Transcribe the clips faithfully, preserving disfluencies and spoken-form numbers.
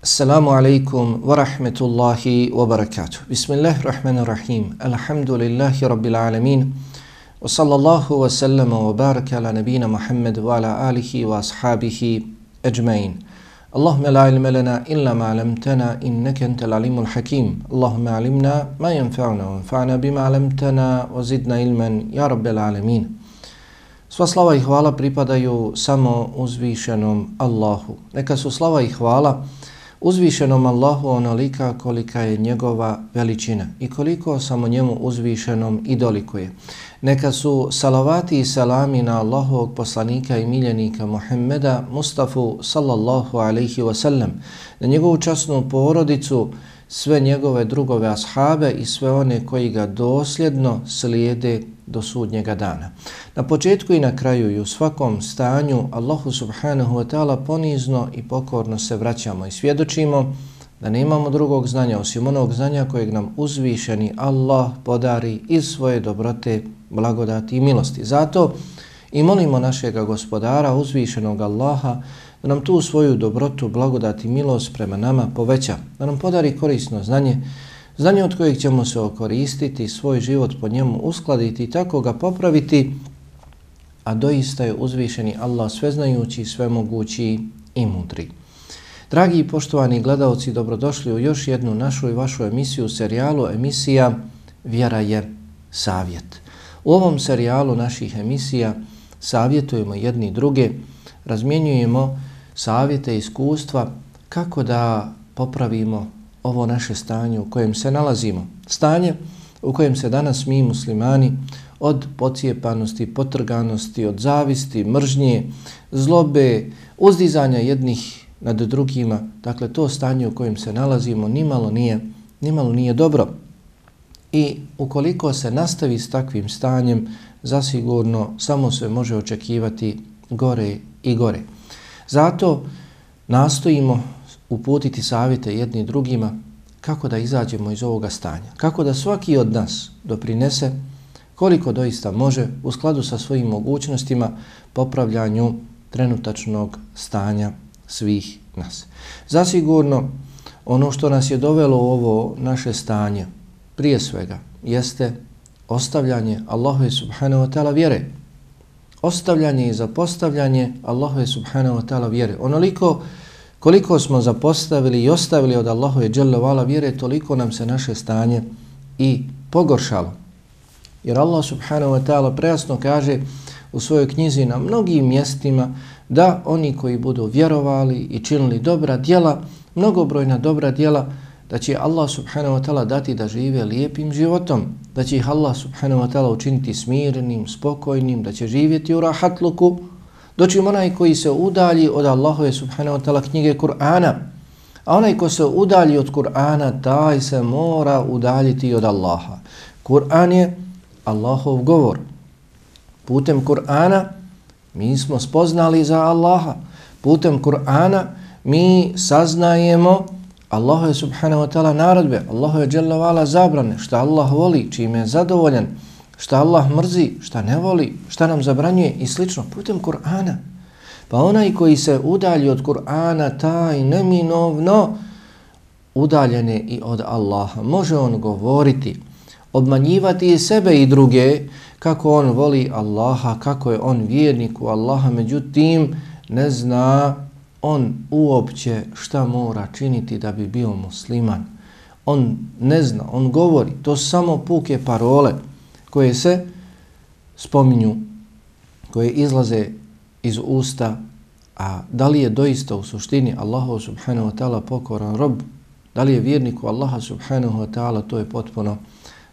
Assalamu alaikum wa rahmetullahi wa barakatuh. Bismillahirrahmanirrahim. Alhamdulillahi rabbil alamin. Wa sallallahu wa sallama wa baraka ala nabina Muhammad wa ala alihi wa ashabihi ajmain. Allahumma la ilma lana illa ma 'allamtana innaka antal alimul hakim. Allahumma 'allimna ma yanfa'una wa anfa'na bima 'allamtana wa zidna ilman ya rabbil alamin. Sva slava i hvala pripadaju samo uzvišenom Allahu. Neka su slava i hvala uzvišenom Allahu onolika kolika je njegova veličina i koliko samo njemu uzvišenom i dolikuje. Neka su salavati i salami na Allahovog poslanika i miljenika Muhammeda Mustafa sallallahu alaihi wasallam, na njegovu časnu porodicu, sve njegove drugove ashabe i sve one koji ga dosljedno slijede do sudnjega dana. Na početku i na kraju i u svakom stanju Allahu subhanahu wa ta'ala ponizno i pokorno se vraćamo i svjedočimo da nemamo drugog znanja osim onog znanja kojeg nam uzvišeni Allah podari iz svoje dobrote, blagodati i milosti. Zato i molimo našega gospodara, uzvišenog Allaha, da nam tu svoju dobrotu, blagodati i milost prema nama poveća, da nam podari korisno znanje, znanje od kojeg ćemo se okoristiti, svoj život po njemu uskladiti i tako ga popraviti, a doista je uzvišeni Allah sveznajući, svemogući i mudri. Dragi i poštovani gledalci, dobrodošli u još jednu našu i vašu emisiju, serijalu emisija Vjera je savjet. U ovom serijalu naših emisija savjetujemo jedni druge, razmjenjujemo savjete i iskustva kako da popravimo ovo naše stanje u kojem se nalazimo. Stanje u kojem se danas mi muslimani od pocijepanosti, potrganosti, od zavisti, mržnje, zlobe, uzdizanja jednih nad drugima, dakle to stanje u kojem se nalazimo nimalo nije, nimalo nije dobro. I ukoliko se nastavi s takvim stanjem, zasigurno samo se može očekivati gore i gore. Zato nastojimo uputiti savjete jedni drugima kako da izađemo iz ovoga stanja, kako da svaki od nas doprinese koliko doista može u skladu sa svojim mogućnostima popravljanju trenutačnog stanja svih nas. Zasigurno ono što nas je dovelo u ovo naše stanje prije svega jeste ostavljanje Allahove subhanahu wa ta'ala vjere. Ostavljanje i zapostavljanje Allahove subhanahu wa ta'ala vjere. Onoliko koliko smo zapostavili i ostavili od Allahove dželle vala vjere, toliko nam se naše stanje i pogoršalo. Jer Allah subhanahu wa ta'ala prejasno kaže u svojoj knjizi na mnogim mjestima da oni koji budu vjerovali i činili dobra djela, mnogobrojna dobra djela, da će Allah subhanahu wa ta'ala dati da žive lijepim životom, da će ih Allah subhanahu wa ta'ala učiniti smirenim, spokojnim, da će živjeti u rahatluku, dočim onaj koji se udalji od Allahove subhanahu wa ta'ala knjige Kur'ana, a onaj ko se udalji od Kur'ana, taj se mora udaljiti od Allaha. Kur'an je Allahov govor. Putem Kur'ana mi smo spoznali za Allaha. Putem Kur'ana mi saznajemo Allahove subhanahu wa ta'ala naredbe, Allahove dželle vala zabrane, šta Allah voli, čime je zadovoljan, šta Allah mrzi, šta ne voli, šta nam zabranjuje i slično, putem Kur'ana. Pa onaj koji se udalji od Kur'ana, taj neminovno udaljen je i od Allaha. Može on govoriti, obmanjivati i sebe i druge kako on voli Allaha, kako je on vjernik u Allaha, međutim ne zna on uopće šta mora činiti da bi bio musliman. On ne zna, on govori, to samo puke parole koje se spominju, koje izlaze iz usta, a da li je doista u suštini Allahu subhanahu wa ta'ala pokoran rob, da li je vjerniku Allaha subhanahu wa ta'ala, to je potpuno,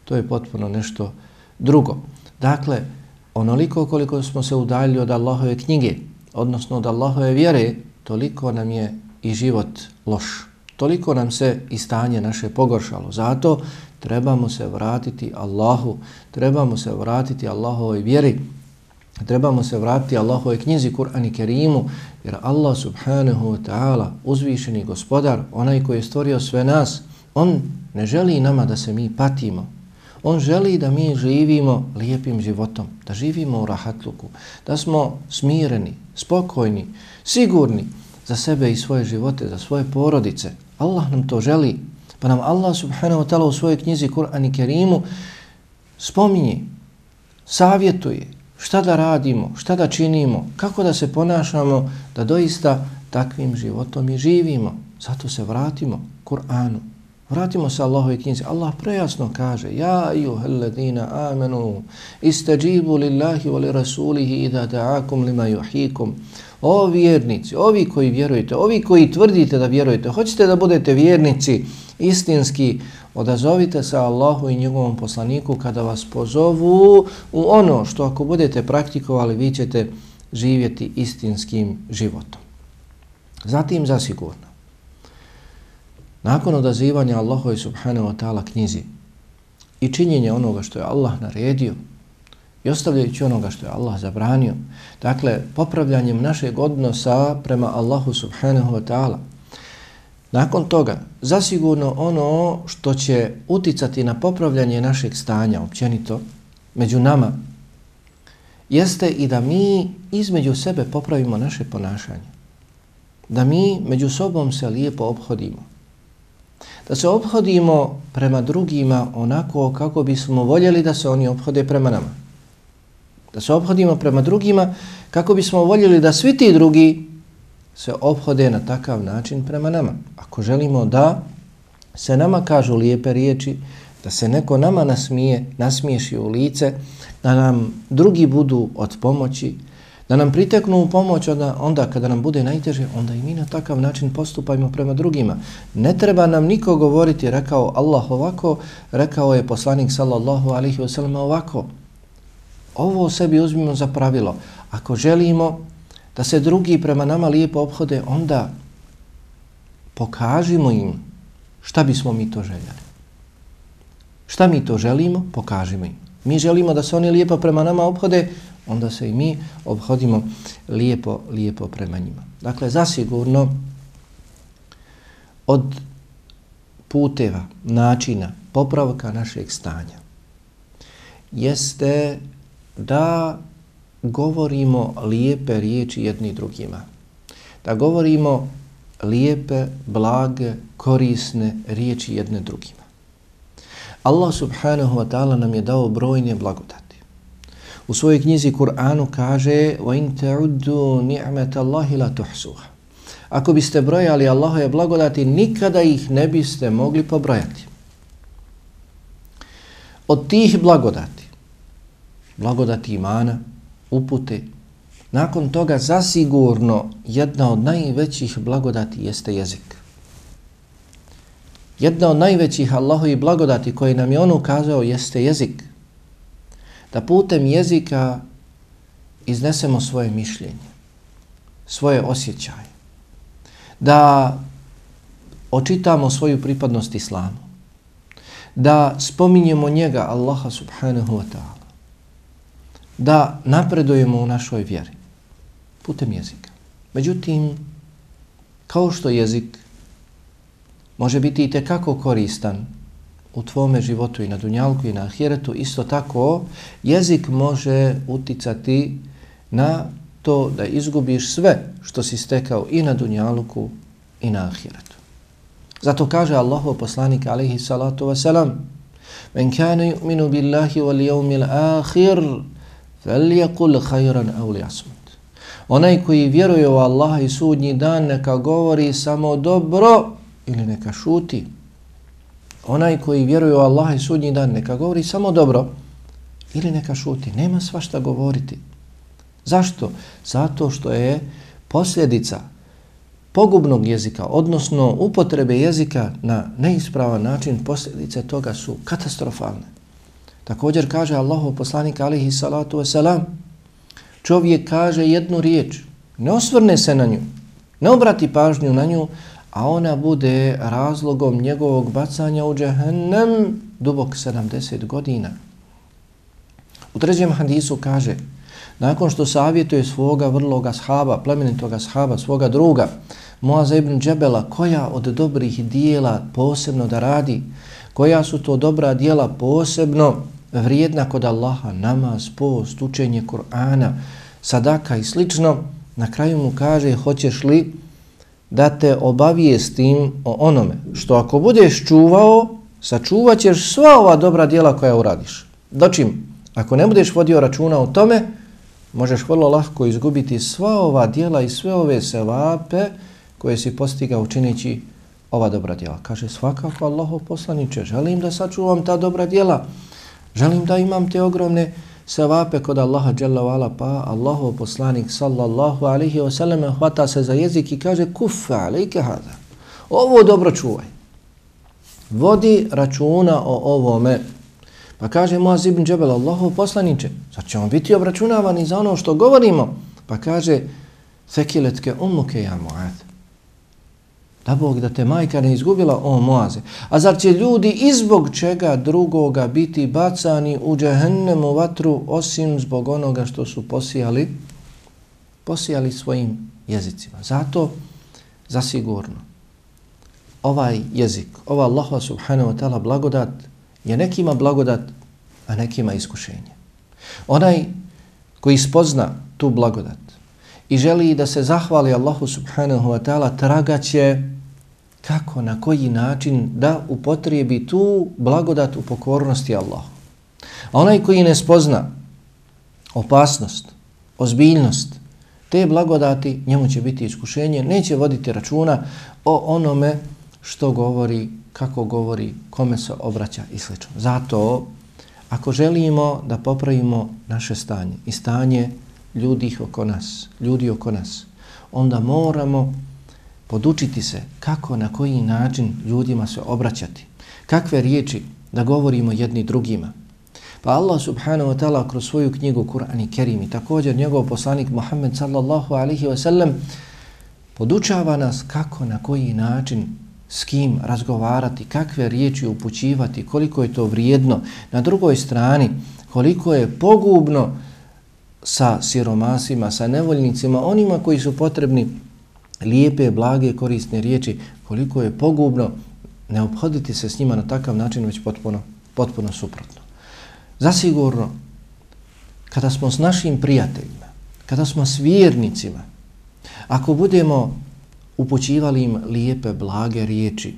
to je potpuno nešto drugo. Dakle, onoliko koliko smo se udaljili od Allahove knjige, odnosno od Allahove vjere, toliko nam je i život loš. Toliko nam se i stanje naše pogoršalo. Zato trebamo se vratiti Allahu, trebamo se vratiti Allahovoj vjeri, trebamo se vratiti Allahovoj knjizi Kur'an i Kerimu, jer Allah subhanahu wa ta'ala, uzvišeni gospodar, onaj koji je stvorio sve nas, on ne želi nama da se mi patimo. On želi da mi živimo lijepim životom, da živimo u rahatluku, da smo smireni, spokojni, sigurni za sebe i svoje živote, za svoje porodice. Allah nam to želi. Pa nam Allah subhanahu wa ta'ala u svojoj knjizi Kur'an i Kerimu spominje, savjetuje šta da radimo, šta da činimo, kako da se ponašamo, da doista takvim životom i živimo. Zato se vratimo Kur'anu. Vratimo se Allahove knjizi. Allah prejasno kaže: Ja ayyuhalladhina amanu istajibu lillahi wa li rasulihi idha da'akum lima yuhyikum. O vjernici, ovi koji vjerujete, ovi koji tvrdite da vjerujete, hoćete da budete vjernici istinski, odazovite se Allahu i njegovom poslaniku kada vas pozovu u ono što ako budete praktikovali vi ćete živjeti istinskim životom. Zatim zasigurno, nakon odazivanja Allahu subhanahu wa ta'ala knjizi i činjenja onoga što je Allah naredio i ostavljajući onoga što je Allah zabranio, dakle popravljanjem našeg odnosa prema Allahu subhanahu wa ta'ala, nakon toga zasigurno ono što će uticati na popravljanje našeg stanja općenito među nama jeste i da mi između sebe popravimo naše ponašanje, da mi među sobom se lijepo ophodimo, da se ophodimo prema drugima onako kako bismo voljeli da se oni ophode prema nama, da se ophodimo prema drugima kako bismo voljeli da svi ti drugi se ophode na takav način prema nama. Ako želimo da se nama kažu lijepe riječi, da se neko nama nasmije, nasmiješi u lice, da nam drugi budu od pomoći, da nam priteknu u pomoć onda, onda kada nam bude najteže, onda i mi na takav način postupajmo prema drugima. Ne treba nam niko govoriti, rekao Allah ovako, rekao je poslanik sallallahu alaihi wa sallam ovako. Ovo sebi uzmimo za pravilo. Ako želimo da se drugi prema nama lijepo ophode, onda pokažimo im šta bismo mi to željeli. Šta mi to želimo, pokažimo im. Mi želimo da se oni lijepo prema nama ophode, onda se i mi obhodimo lijepo, lijepo prema njima. Dakle, zasigurno od puteva, načina, popravka našeg stanja jeste da govorimo lijepe riječi jedni drugima. Da govorimo lijepe, blage, korisne riječi jedne drugima. Allah subhanahu wa ta'ala nam je dao brojne blagodati. U svojoj knjizi Kur'anu kaže: وَإِنْ تَعُدُّوا نِعْمَةَ اللَّهِ لَا تُحْسُوهَا. Ako biste brojali Allahove blagodati, nikada ih ne biste mogli pobrojati. Od tih blagodati, blagodati imana, upute, nakon toga zasigurno jedna od najvećih blagodati jeste jezik. Jedna od najvećih Allahovih blagodati koje nam je on ukazao jeste jezik. Da putem jezika iznesemo svoje mišljenje, svoje osjećaje, da očitamo svoju pripadnost islamu, da spominjemo njega, Allaha subhanahu wa ta'ala, da napredujemo u našoj vjeri putem jezika. Međutim, kao što jezik može biti i tekako koristan u tvome životu i na dunjalku i na ahiretu, isto tako jezik može uticati na to da izgubiš sve što si stekao i na dunjalku i na ahiretu. Zato kaže Allahov poslanik alejhi salatu vesselam: "Men kana yu'minu billahi wal yawmil akhir falyaqul khayran aw liyasmut." Onaj koji vjeruje u Allaha i sudnji dan neka govori samo dobro ili neka šuti. Onaj koji vjeruje u Allaha i sudnji dan neka govori samo dobro ili neka šuti. Nema svašta govoriti. Zašto? Zato što je posljedica pogubnog jezika, odnosno upotrebe jezika na neispravan način, posljedice toga su katastrofalne. Također kaže Allahov poslanik alejhi salatu vesselam: čovjek kaže jednu riječ, ne osvrne se na nju, ne obrati pažnju na nju, a ona bude razlogom njegovog bacanja u džehennem dubok sedamdeset godina. U trećem hadisu kaže: nakon što savjetuje svoga vrloga ashaba, plemenitoga ashaba, svoga druga, Muaza ibn Džebela, koja od dobrih dijela posebno da radi, koja su to dobra dijela posebno vrijedna kod Allaha, namaz, post, učenje Kur'ana, sadaka i slično, na kraju mu kaže: hoćeš li da te obavijestim o onome što ako budeš čuvao, sačuvat ćeš sva ova dobra djela koja uradiš. Dočim, ako ne budeš vodio računa o tome, možeš vrlo lako izgubiti sva ova djela i sve ove sevape koje si postigao čineći ova dobra djela. Kaže, svakako Allahov poslaniče, želim da sačuvam ta dobra djela, želim da imam te ogromne sevape kod Allaha dželle ve ala, pa Allahov poslanik sallallahu alejhi ve sellem hvata se za jezik i kaže, kuffa alejke hada. Ovo dobro čuvaj. Vodi računa o ovome. Pa kaže Muaz ibn Džebel, Allahov poslaniče, sad ćemo biti obračunavani za ono što govorimo. Pa kaže, sekiletke ummuke ja Muaz. Da Bog da te majka ne izgubila, o Muaze. A zar će ljudi izbog čega drugoga biti bacani u džehennemu vatru osim zbog onoga što su posijali, posijali svojim jezicima. Zato, zasigurno, ovaj jezik, ova Allaha subhanahu wa ta'ala blagodat je nekima blagodat, a nekima iskušenje. Onaj koji spozna tu blagodat i želi da se zahvali Allahu subhanahu wa ta'ala, tragaće kako, na koji način da upotrijebi tu blagodat u pokornosti Allahu. A onaj koji ne spozna opasnost, ozbiljnost te blagodati, njemu će biti iskušenje, neće voditi računa o onome što govori, kako govori, kome se obraća i sl. Zato, ako želimo da popravimo naše stanje i stanje ljudi oko nas, ljudi oko nas, onda moramo podučiti se kako, na koji način ljudima se obraćati, kakve riječi da govorimo jedni drugima. Pa Allah subhanahu wa ta'ala kroz svoju knjigu Kur'an i Kerim i također njegov poslanik Muhammed sallallahu alaihi wa sallam podučava nas kako, na koji način, s kim razgovarati, kakve riječi upućivati, koliko je to vrijedno. Na drugoj strani, koliko je pogubno sa siromasima, sa nevoljnicima, onima koji su potrebni lijepe, blage, korisne riječi, koliko je pogubno ne obhoditi se s njima na takav način, već potpuno, potpuno suprotno. Zasigurno, kada smo s našim prijateljima, kada smo s vjernicima, ako budemo upućivali im lijepe, blage riječi,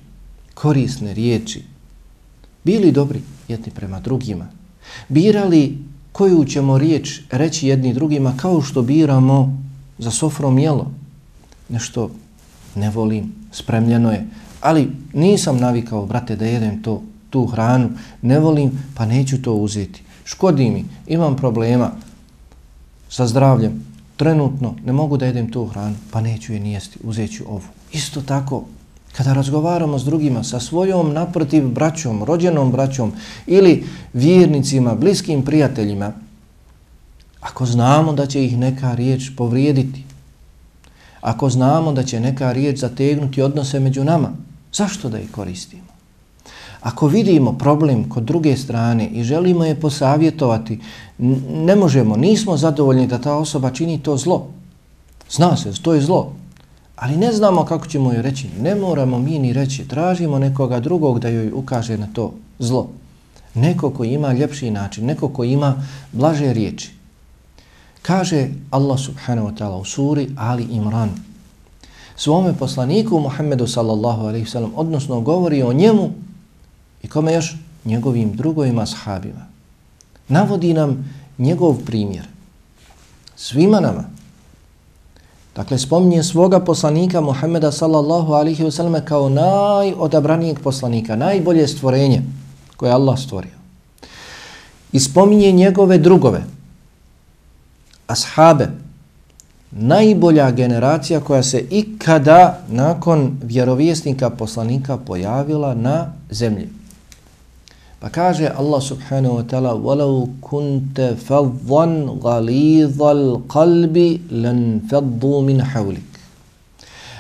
korisne riječi, bili dobri jedni prema drugima, birali koju ćemo riječ reći jedni drugima kao što biramo za sofrom jelo. Nešto ne volim, spremljeno je, ali nisam navikao, brate, da jedem to, tu hranu, ne volim, pa neću to uzeti. Škodi mi, imam problema sa zdravljem, trenutno ne mogu da jedem tu hranu, pa neću je nijesti, uzet ću ovu. Isto tako, kada razgovaramo s drugima, sa svojom naprotiv braćom, rođenom braćom ili vjernicima, bliskim prijateljima, ako znamo da će ih neka riječ povrijediti, ako znamo da će neka riječ zategnuti odnose među nama, zašto da ih koristimo? Ako vidimo problem kod druge strane i želimo je posavjetovati, ne možemo, nismo zadovoljni da ta osoba čini to zlo. Zna se, to je zlo. Ali ne znamo kako ćemo joj reći. Ne moramo mi ni reći. Tražimo nekoga drugog da joj ukaže na to zlo. Neko koji ima ljepši način, neko koji ima blaže riječi. Kaže Allah subhanahu wa ta'ala u suri Ali Imran svome poslaniku Muhammedu sallallahu alaihi wa sallam, odnosno govori o njemu i kome još? Njegovim drugovima sahabima. Navodi nam njegov primjer. Svima nama. Dakle, spominje svoga poslanika Muhammeda sallallahu alaihi wa sallam kao najodabranijeg poslanika, najbolje stvorenje koje Allah stvorio. I spominje njegove drugove, ashabe, najbolja generacija koja se ikada nakon vjerovjesnika poslanika pojavila na zemlji. Pa kaže Allah subhanahu wa ta'ala وَلَوْ كُنْتَ فَضًّا غَلِيظَ الْقَلْبِ لَنْ فَضُّوا مِنْ حَوْلِكَ.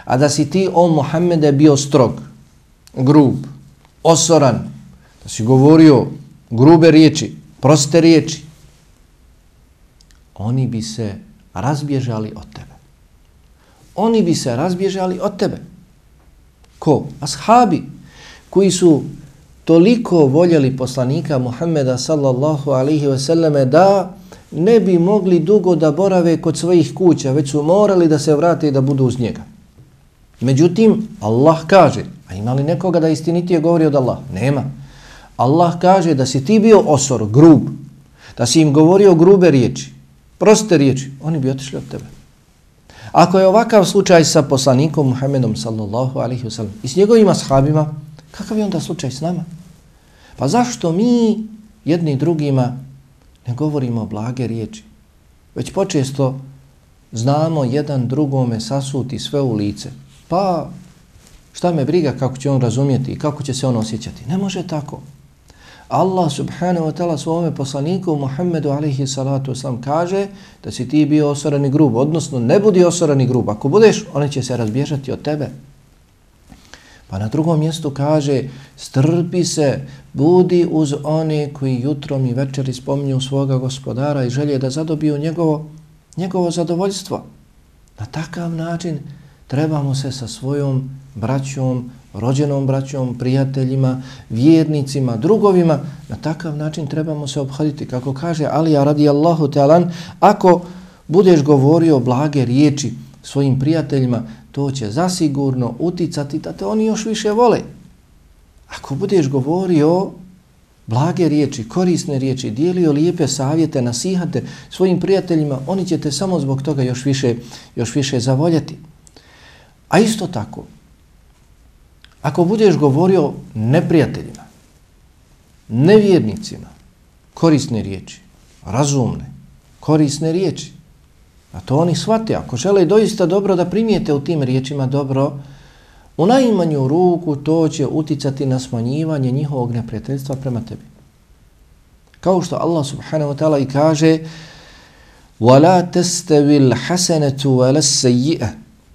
A da si ti, o Muhammede, bio strog, grub, osoran, da si govorio grube riječi, proste riječi, oni bi se razbježali od tebe. Oni bi se razbježali od tebe. Ko? Ashabi koji su toliko voljeli poslanika Muhammeda sallallahu alaihi ve selleme da ne bi mogli dugo da borave kod svojih kuća, već su morali da se vrate i da budu uz njega. Međutim, Allah kaže, a ima li nekoga da istinitije govori od Allah? Nema. Allah kaže da si ti bio osor, grub, da si im govorio grube riječi, proste riječi, oni bi otišli od tebe. Ako je ovakav slučaj sa poslanikom Muhammedom sallallahu alaihi wa sallam i s njegovima ashabima, kakav je onda slučaj s nama? Pa zašto mi jedni drugima ne govorimo blage riječi? Već počesto znamo jedan drugome sasuti sve u lice. Pa šta me briga kako će on razumjeti i kako će se on osjećati? Ne može tako. Allah subhanahu wa ta'ala svome poslaniku Muhammedu alaihi salatu wasalam kaže da si ti bio osoran i grub, odnosno ne budi osoran i grub. Ako budeš, oni će se razbježati od tebe. Pa na drugom mjestu kaže, strpi se, budi uz one koji jutrom i večeri spominju svoga gospodara i želje da zadobiju njegovo, njegovo zadovoljstvo. Na takav način trebamo se sa svojom braćom, rođenom braćom, prijateljima, vjernicima, drugovima, na takav način trebamo se obhoditi. Kako kaže Alija radijallahu ta'alan, ako budeš govorio blage riječi svojim prijateljima, to će zasigurno uticati da te oni još više vole. Ako budeš govorio blage riječi, korisne riječi, dijelio lijepe savjete, nasihate svojim prijateljima, oni će te samo zbog toga još više, još više zavoljeti. A isto tako, ako budeš govorio neprijateljima, nevjernicima, korisne riječi, razumne, korisne riječi, a to oni shvate, ako žele doista dobro da primijete u tim riječima dobro, u najmanju ruku to će uticati na smanjivanje njihovog neprijateljstva prema tebi. Kao što Allah subhanahu wa ta'ala i kaže وَلَا تَسْتَوِي الْحَسَنَةُ وَلَا السَّيِّئَةُ.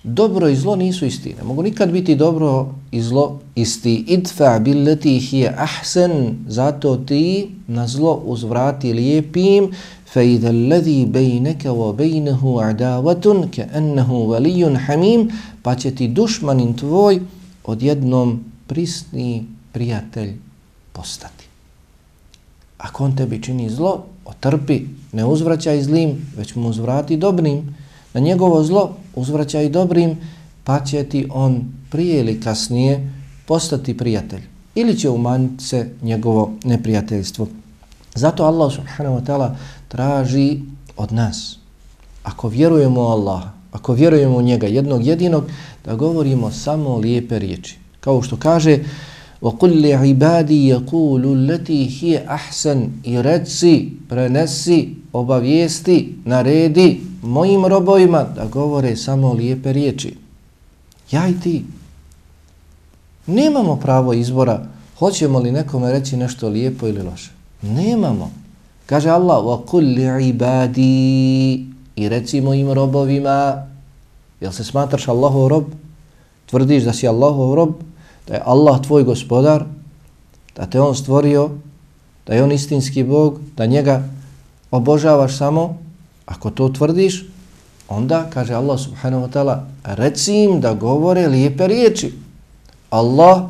Dobro i zlo nisu isti. Ne mogu nikad biti dobro i zlo isti. Idfa billati hiya ahsan. Zato ti na zlo uzvrati lijepim. Fa idha alladhi baynaka wa baynahu adawatun ka'annahu waliyyun hamim. Pa će ti dušmanin tvoj odjednom prisni prijatelj postati. Ako on tebi čini zlo, otrpi, ne uzvraćaj zlim, već mu uzvrati dobrim. Na njegovo zlo uzvraćaj dobrim, pa će ti on prije ili kasnije postati prijatelj. Ili će umanjiti se njegovo neprijateljstvo. Zato Allah subhanahu wa ta'ala traži od nas, ako vjerujemo u Allaha, ako vjerujemo u njega jednog jedinog, da govorimo samo lijepe riječi. Kao što kaže وَقُلْ لِعِبَادِي يَقُولُ الَّتِي هِيَ أَحْسَنِ. I reci, prenesi, obavijesti, naredi mojim robovima da govore samo lijepe riječi. Ja i ti. Nemamo pravo izbora hoćemo li nekome reći nešto lijepo ili loše. Nemamo. Kaže Allah وَقُلْ لِعِبَادِي. I reci mojim robovima. Jel se smatraš Allahov rob? Tvrdiš da si Allahov rob? Da je Allah tvoj gospodar, da te on stvorio, da je on istinski Bog, da njega obožavaš samo, ako to tvrdiš, onda, kaže Allah subhanahu wa ta'ala, reci im da govore lijepe riječi. Allah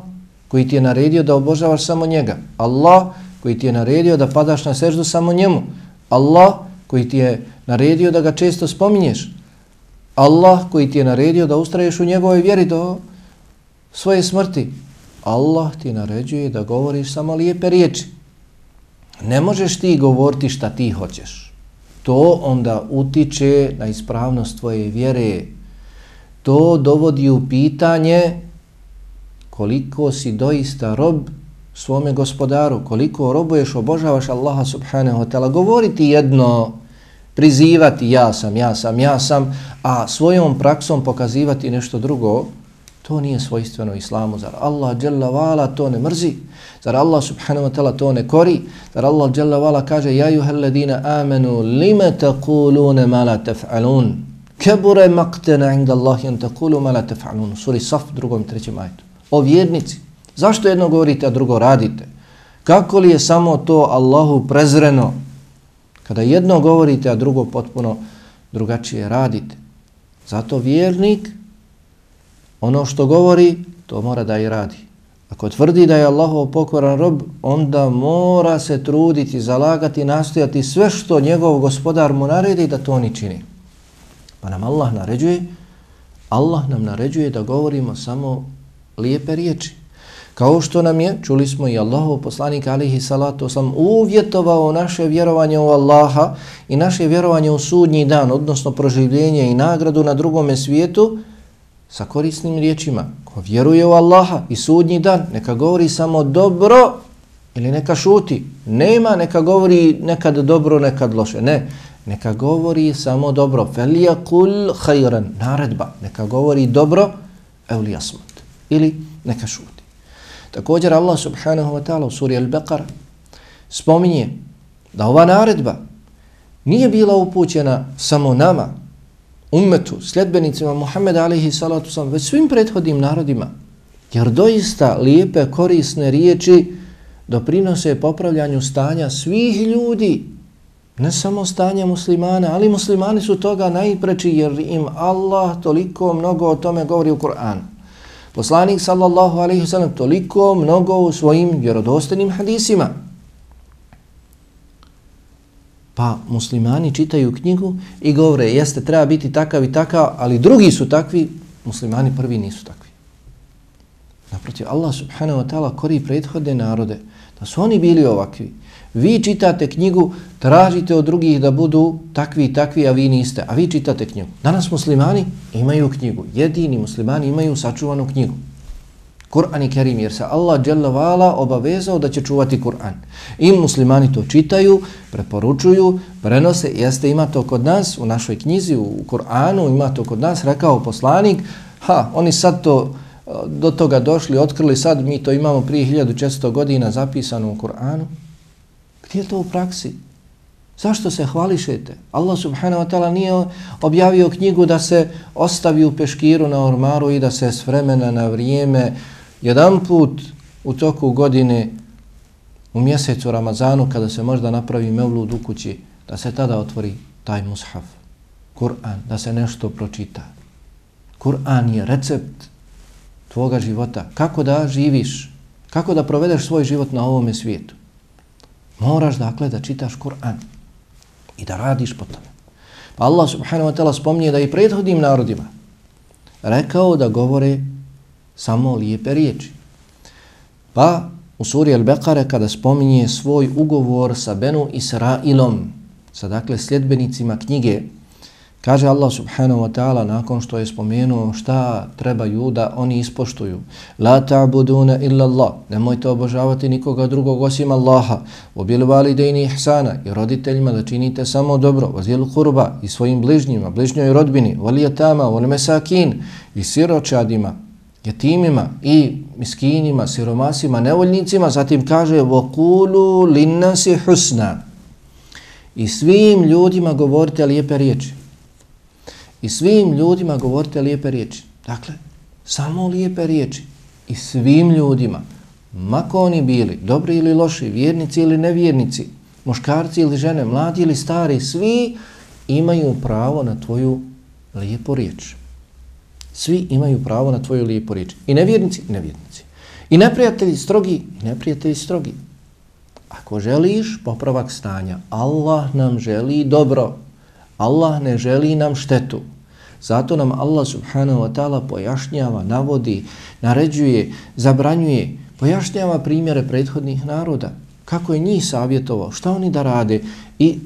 koji ti je naredio da obožavaš samo njega. Allah koji ti je naredio da padaš na seždu samo njemu. Allah koji ti je naredio da ga često spominješ. Allah koji ti je naredio da ustraješ u njegovoj vjeri do svoje smrti. Allah ti naređuje da govoriš samo lijepe riječi. Ne možeš ti govoriti šta ti hoćeš. To onda utiče na ispravnost tvoje vjere. To dovodi u pitanje koliko si doista rob svome gospodaru, koliko robuješ, obožavaš Allaha subhanahu wa ta'ala. Govoriti jedno, prizivati ja sam, ja sam, ja sam, a svojom praksom pokazivati nešto drugo, to nije svojstveno islamu. Zar Allah dželle vala to ne mrzi? Zar Allah subhanahu wa ta'ala to ne kori? Zar Allah dželle vala kaže ja ayyuhalladhina amanu lima taquluna ma la taf'alun? Kabura maqtan 'inda Allahi an taqulu ma la taf'alun. Sura Saf drugom trećem ajetu. O vjernici, zašto jedno govorite, a drugo radite? Kako li je samo to Allahu prezreno? Kada jedno govorite, a drugo potpuno drugačije radite. Zato vjernik ono što govori, to mora da i radi. Ako tvrdi da je Allahov pokoran rob, onda mora se truditi, zalagati, nastojati sve što njegov gospodar mu naredi da to ni čini. Pa nam Allah naređuje, Allah nam naređuje da govorimo samo lijepe riječi. Kao što nam je, čuli smo i Allahov poslanik alejhi salatu vesselam uvjetovao naše vjerovanje u Allaha i naše vjerovanje u sudnji dan, odnosno proživljenje i nagradu na drugome svijetu sa korisnim riječima. Ko vjeruje u Allaha i sudnji dan, neka govori samo dobro ili neka šuti. Nema, neka govori nekad dobro, nekad loše. Ne, neka govori samo dobro. Felijakul hajran, naredba. Neka govori dobro, evli asmut. Ili neka šuti. Također Allah subhanahu wa ta'ala u suri Al-Baqara spominje da ova naredba nije bila upućena samo nama, ummetu, sljedbenicima Muhammeda alejhi salatu vesselam, već svim prethodnim narodima. Jer doista lijepe, korisne riječi doprinose popravljanju stanja svih ljudi, ne samo stanja muslimana, ali muslimani su toga najpreči jer im Allah toliko mnogo o tome govori u Kur'anu. Poslanik sallallahu alejhi ve sellem toliko mnogo u svojim vjerodostojnim hadisima. Pa muslimani čitaju knjigu i govore, jeste, treba biti takav i takav, ali drugi su takvi, muslimani prvi nisu takvi. Naprotiv, Allah subhanahu wa ta'ala kori prethodne narode, da su oni bili ovakvi. Vi čitate knjigu, tražite od drugih da budu takvi i takvi, a vi niste. A vi čitate knjigu. Danas muslimani imaju knjigu. Jedini muslimani imaju sačuvanu knjigu. Kur'an i Kerim, jer se Allah dželle vala obavezao da će čuvati Kur'an. I muslimani to čitaju, preporučuju, prenose. Jeste, ima to kod nas, u našoj knjizi, u Kur'anu, ima to kod nas, rekao poslanik, ha, oni sad to do toga došli, otkrili, sad mi to imamo prije hiljadu četiristo godina zapisano u Kur'anu. Gdje je to u praksi? Zašto se hvališete? Allah subhanahu wa ta'ala nije objavio knjigu da se ostavi u peškiru na ormaru i da se s vremena na vrijeme jedan put u toku godine u mjesecu Ramazanu kada se možda napravi mevlud u kući, da se tada otvori taj mushaf, Kur'an, da se nešto pročita. Kur'an je recept tvoga života. Kako da živiš? Kako da provedeš svoj život na ovome svijetu? Moraš dakle da čitaš Kur'an i da radiš po tome. Pa Allah subhanahu wa ta'ala spominje da i prethodnim narodima rekao da govore samo lijepe riječi. Pa u suri Al-Baqara kada spominje svoj ugovor sa Benu Israilom, sa dakle sljedbenicima knjige, kaže Allah subhanahu wa ta'ala nakon što je spomenuo šta trebaju da oni ispoštuju. La ta'buduna illa Allah. Nemojte obožavati nikoga drugog osim Allaha. Obil validejni ihsana. I roditeljima da činite samo dobro. Vazil kurba. I svojim bližnjima, bližnjoj rodbini. Valijatama, vol mesakin. I siročadima, jetimima i miskinima, siromasima, nevoljnicima. Zatim kaže vokulu linnasi husna. I svim ljudima govorite lijepe riječi. I svim ljudima govorite lijepe riječi. Dakle, samo lijepe riječi. I svim ljudima, mako oni bili, dobri ili loši, vjernici ili nevjernici, muškarci ili žene, mladi ili stari, svi imaju pravo na tvoju lijepu riječ. Svi imaju pravo na tvoju lijepu riječ. I nevjernici, i nevjernici. I neprijatelji strogi, i neprijatelji strogi. Ako želiš popravak stanja, Allah nam želi dobro. Allah ne želi nam štetu. Zato nam Allah subhanahu wa ta'ala pojašnjava, navodi, naređuje, zabranjuje, pojašnjava primjere prethodnih naroda. Kako je njih savjetovao, šta oni da rade i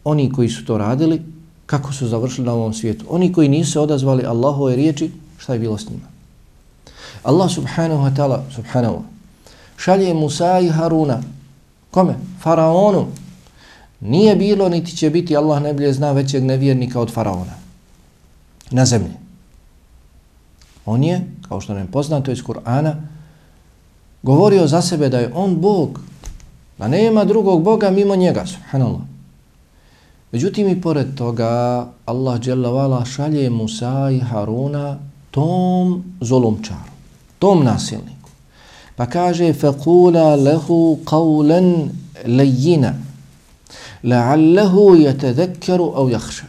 oni koji su to radili, kako su završili na ovom svijetu. Oni koji nisu odazvali Allahove riječi, šta je bilo s njima. Allah subhanahu wa ta'ala, subhanahu, šalje Musa i Haruna. Kome? Faraonu. Nije bilo, niti će biti, Allah najbolje zna, većeg nevjernika od Faraona na zemlji. On je, kao što nam je poznato iz Kur'ana, govorio za sebe da je on Bog, da nema drugog Boga mimo njega, subhanallah. Međutim i pored toga, Allah dželle vala šalje Musa i Haruna tom zulumčaru, tom nasilniku. Pa kaže, فَقُولَ لَهُ قَوْلًا لَيِّنًا la'allahu yatadhakkaru aw yakhsha.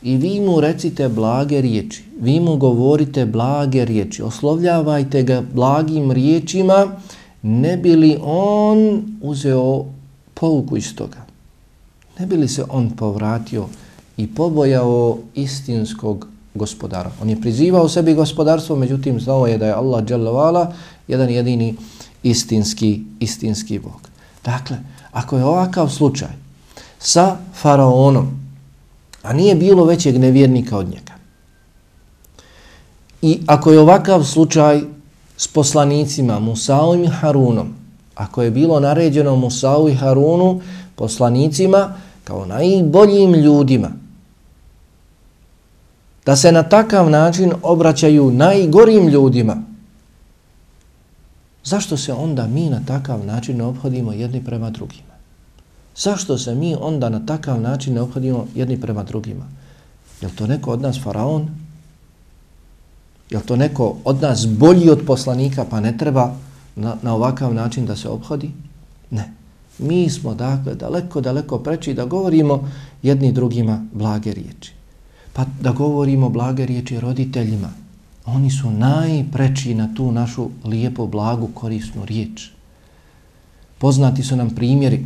I vi mu recite blage riječi, vi mu govorite blage riječi, oslovljavajte ga blagim riječima, ne bi li on uzeo pouku iz toga, ne bi li se on povratio i pobojao istinskog gospodara. On je prizivao sebi gospodarstvo, međutim znao je da je Allah dželle ve ala jedan jedini istinski, istinski Bog. Dakle, ako je ovakav slučaj sa faraonom, a nije bilo većeg nevjernika od njega, i ako je ovakav slučaj s poslanicima Musaom i Harunom, ako je bilo naređeno Musau i Harunu, poslanicima, kao najboljim ljudima, da se na takav način obraćaju najgorim ljudima, zašto se onda mi na takav način ne ophodimo jedni prema drugima? Zašto se mi onda na takav način ne ophodimo jedni prema drugima? Je li to neko od nas faraon? Je li to neko od nas bolji od poslanika pa ne treba na, na ovakav način da se ophodi? Ne. Mi smo dakle daleko, daleko preči da govorimo jedni drugima blage riječi. Pa da govorimo blage riječi roditeljima. Oni su najpreči na tu našu lijepu, blagu, korisnu riječ. Poznati su nam primjeri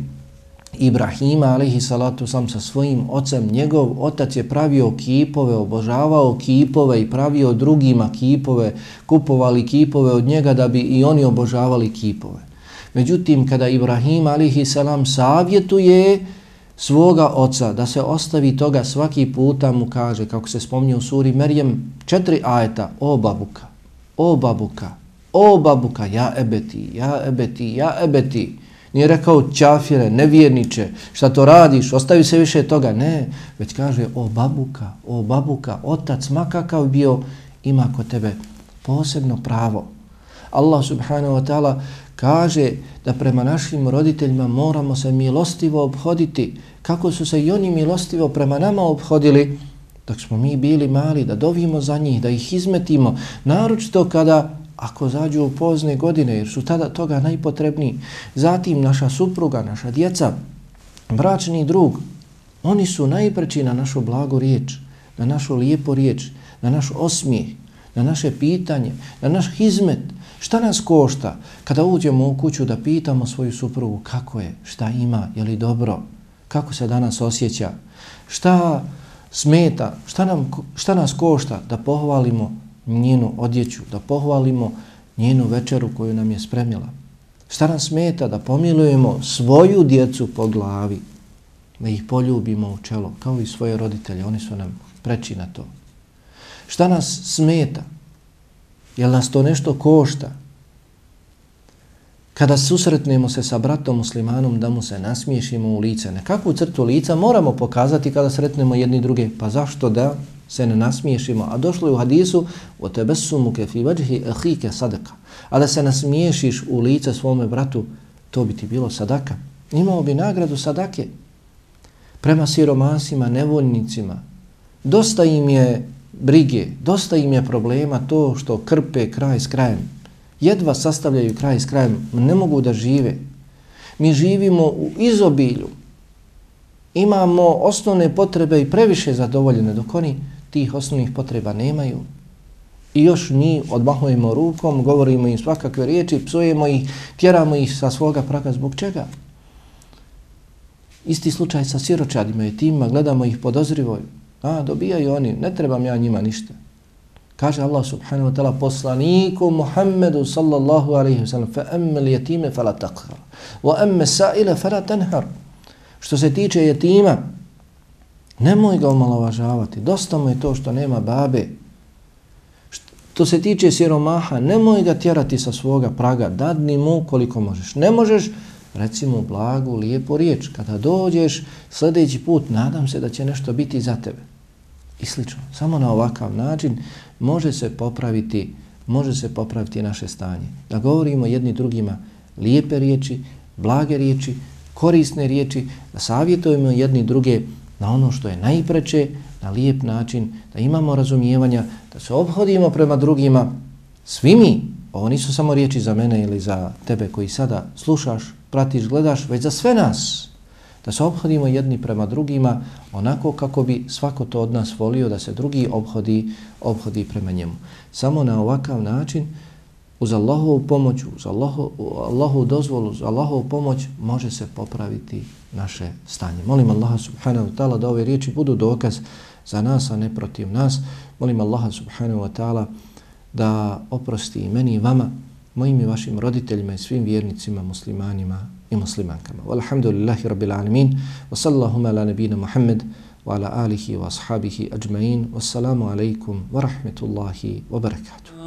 Ibrahima, alejhi salatu sam, sa svojim ocem. Njegov otac je pravio kipove, obožavao kipove i pravio drugima kipove, kupovali kipove od njega da bi i oni obožavali kipove. Međutim, kada Ibrahim, alejhi salam, savjetuje svoga oca da se ostavi toga, svaki puta mu kaže, kako se spominje u suri Merjem, četiri ajeta: o babuka, o babuka, o babuka, ja ebeti, ja ebeti, ja ebeti. Nije rekao čafire, nevjerniče, šta to radiš, ostavi se više toga. Ne, već kaže o babuka, o babuka, otac makakav bio, ima kod tebe posebno pravo. Allah subhanahu wa ta'ala kaže da prema našim roditeljima moramo se milostivo obhoditi, kako su se i oni milostivo prema nama obhodili dok smo mi bili mali, da dovimo za njih, da ih izmetimo, naročito kada ako zađu u pozne godine, jer su tada toga najpotrebniji. Zatim naša supruga, naša djeca, bračni drug, oni su najpreči na našu blagu riječ, na našu lijepu riječ, na naš osmijeh, na naše pitanje, na naš hizmet. Šta nas košta kada uđemo u kuću da pitamo svoju suprugu kako je, šta ima, je li dobro, kako se danas osjeća, šta smeta, šta, nam, šta nas košta da pohvalimo njenu odjeću, da pohvalimo njenu večeru koju nam je spremila. Šta nas smeta da pomilujemo svoju djecu po glavi, da ih poljubimo u čelo, kao i svoje roditelje, oni su nam preči na to. Šta nas smeta? Jel nas to nešto košta? Kada susretnemo se sa bratom muslimanom, da mu se nasmiješimo u lice. Nekakvu crtu lica moramo pokazati kada sretnemo jedni druge. Pa zašto da se ne nasmiješimo? A došlo je u hadisu وَتَبَسُّمُكَ فِي وَجْهِ أَخِيكَ صَدَقَ. A da se nasmiješiš u lice svome bratu, to bi ti bilo sadaka. Imao bi nagradu sadake. Prema siromasima, nevoljnicima. Dosta im je brige, dosta im je problema to što krpe kraj s krajem. Jedva sastavljaju kraj s krajem, ne mogu da žive. Mi živimo u izobilju. Imamo osnovne potrebe i previše zadovoljene, dok oni tih osnovnih potreba nemaju. I još mi odmahujemo rukom, govorimo im svakakve riječi, psujemo ih, tjeramo ih sa svoga praga. Zbog čega? Isti slučaj sa siročadima i tima, gledamo ih podozrivo. A, dobijaju oni, ne trebam ja njima ništa. Kaže Allah subhanahu wa ta'ala poslaniku Muhammedu sallallahu alaihi wa sallam فَأَمَّ الْيَتِيمَ فَلَا تَقْهَرْ وَأَمَّ السَّائِلَ فَلَا تَنْهَرْ. Što se tiče jetima, nemoj ga omalovažavati, dosta mu je to što nema babe. Što se tiče siromaha, nemoj ga tjerati sa svoga praga, dadni mu koliko možeš. Ne možeš, reci mu blagu, lijepu riječ. Kada dođeš sljedeći put, nadam se da će nešto biti za tebe. I slično. Samo na ovakav način može se popraviti, može se popraviti naše stanje. Da govorimo jedni drugima lijepe riječi, blage riječi, korisne riječi, da savjetujemo jedni druge na ono što je najpreče, na lijep način, da imamo razumijevanja, da se obhodimo prema drugima. Svi mi, ovo nisu samo riječi za mene ili za tebe koji sada slušaš, pratiš, gledaš, već za sve nas. Da se obhodimo jedni prema drugima onako kako bi svako to od nas volio da se drugi obhodi, obhodi prema njemu. Samo na ovakav način, uz Allahovu pomoć, uz Allahovu, Allahovu dozvolu, uz Allahovu pomoć može se popraviti naše stanje. Molim Allaha subhanahu wa ta'ala da ove riječi budu dokaz za nas, a ne protiv nas. Molim Allaha subhanahu wa ta'ala da oprosti i meni i vama, mojim i vašim roditeljima i svim vjernicima, muslimanima i muslimankama. Walhamdulillahi rabbil alamin. Wa sallallahu ala nabina Muhammad wa ala alihi wa ashabihi ajma'in. Wassalamu alaikum wa rahmetullahi wa barakatuh.